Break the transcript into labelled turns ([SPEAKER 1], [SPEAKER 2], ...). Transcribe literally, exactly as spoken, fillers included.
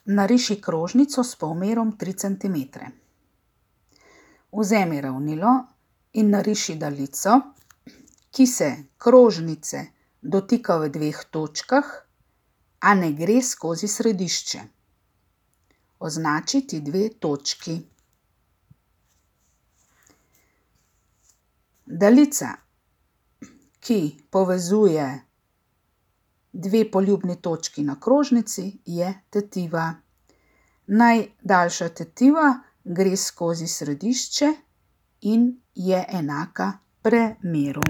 [SPEAKER 1] Nariši krožnico s polmerom tri centimetre. Vzemi ravnilo in nariši daljico, ki se krožnice dotika v dveh točkah, a ne gre skozi središče. Označi ti dve točki. Daljica, ki povezuje dve poljubni točki na krožnici, je tetiva. Najdaljša tetiva gre skozi središče in je enaka premeru.